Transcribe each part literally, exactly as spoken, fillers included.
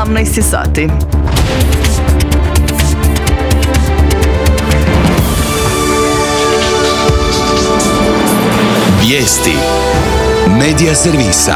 sedamnaest sati. Vijesti Medija servisa.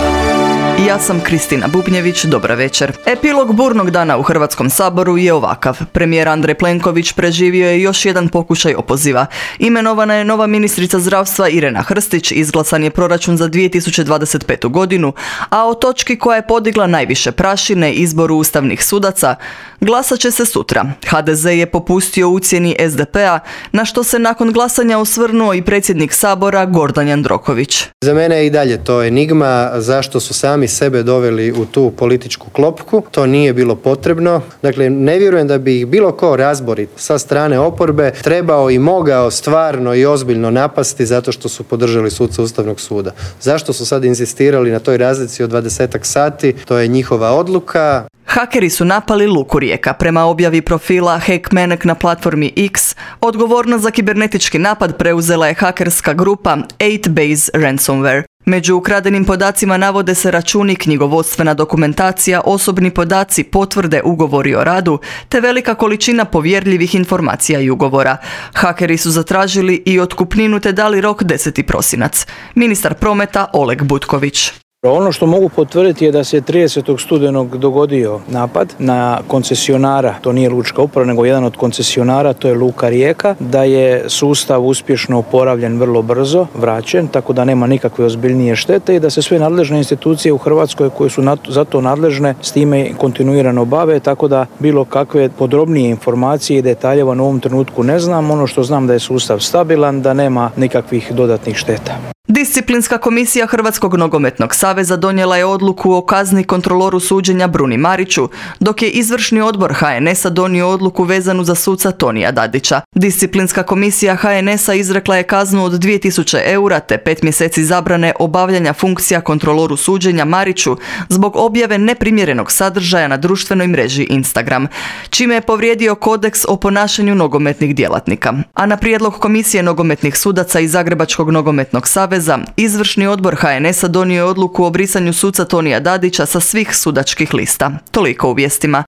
Ja sam Kristina Bubnjević, dobra večer. Epilog burnog dana u Hrvatskom saboru je ovakav. Premijer Andrej Plenković preživio je još jedan pokušaj opoziva. Imenovana je nova ministrica zdravstva Irena Hrstić, izglasan je proračun za dvije tisuće dvadeset petu. godinu, a o točki koja je podigla najviše prašine, izboru ustavnih sudaca, glasat će se sutra. ha de ze je popustio ucjeni es de pe a, na što se nakon glasanja osvrnuo i predsjednik Sabora Gordan Jandroković. Za mene je i dalje to enigma zašto su sami sebe doveli u tu političku klopku. To nije bilo potrebno. Dakle, ne vjerujem da bi ih bilo ko razborit sa strane oporbe trebao i mogao stvarno i ozbiljno napasti zato što su podržali suca Ustavnog suda. Zašto su sad insistirali na toj razlici od dvadesetak sati? To je njihova odluka. Hakeri su napali Luku Rijeka. Prema objavi profila Hackmanek na platformi X, odgovornost za kibernetički napad preuzela je hakerska grupa osam base Ransomware. Među ukradenim podacima navode se računi, knjigovodstvena dokumentacija, osobni podaci, potvrde, ugovori o radu, te velika količina povjerljivih informacija i ugovora. Hakeri su zatražili i otkupninu te dali rok deseti prosinac. Ministar prometa Oleg Butković. Ono što mogu potvrditi je da se tridesetog studenog dogodio napad na koncesionara, to nije lučka uprava nego jedan od koncesionara, to je Luka Rijeka, da je sustav uspješno oporavljen vrlo brzo, vraćen, tako da nema nikakve ozbiljnije štete i da se sve nadležne institucije u Hrvatskoj koje su za to nadležne s time kontinuirano bave, tako da bilo kakve podrobnije informacije i detalje u ovom trenutku ne znam. Ono što znam da je sustav stabilan, da nema nikakvih dodatnih šteta. Disciplinska komisija Hrvatskog nogometnog saveza donijela je odluku o kazni kontroloru suđenja Bruni Mariću, dok je izvršni odbor ha en es a donio odluku vezanu za suca Tonija Dadića. Disciplinska komisija ha en es a izrekla je kaznu od dvije tisuće eura te pet mjeseci zabrane obavljanja funkcija kontroloru suđenja Mariću zbog objave neprimjerenog sadržaja na društvenoj mreži Instagram, čime je povrijedio kodeks o ponašanju nogometnih djelatnika. A na prijedlog komisije nogometnih sudaca i Zagrebačkog nogometnog saveza, izvršni odbor ha en es a donio je odluku o brisanju suca Tonija Dadića sa svih sudačkih lista. Toliko u vijestima.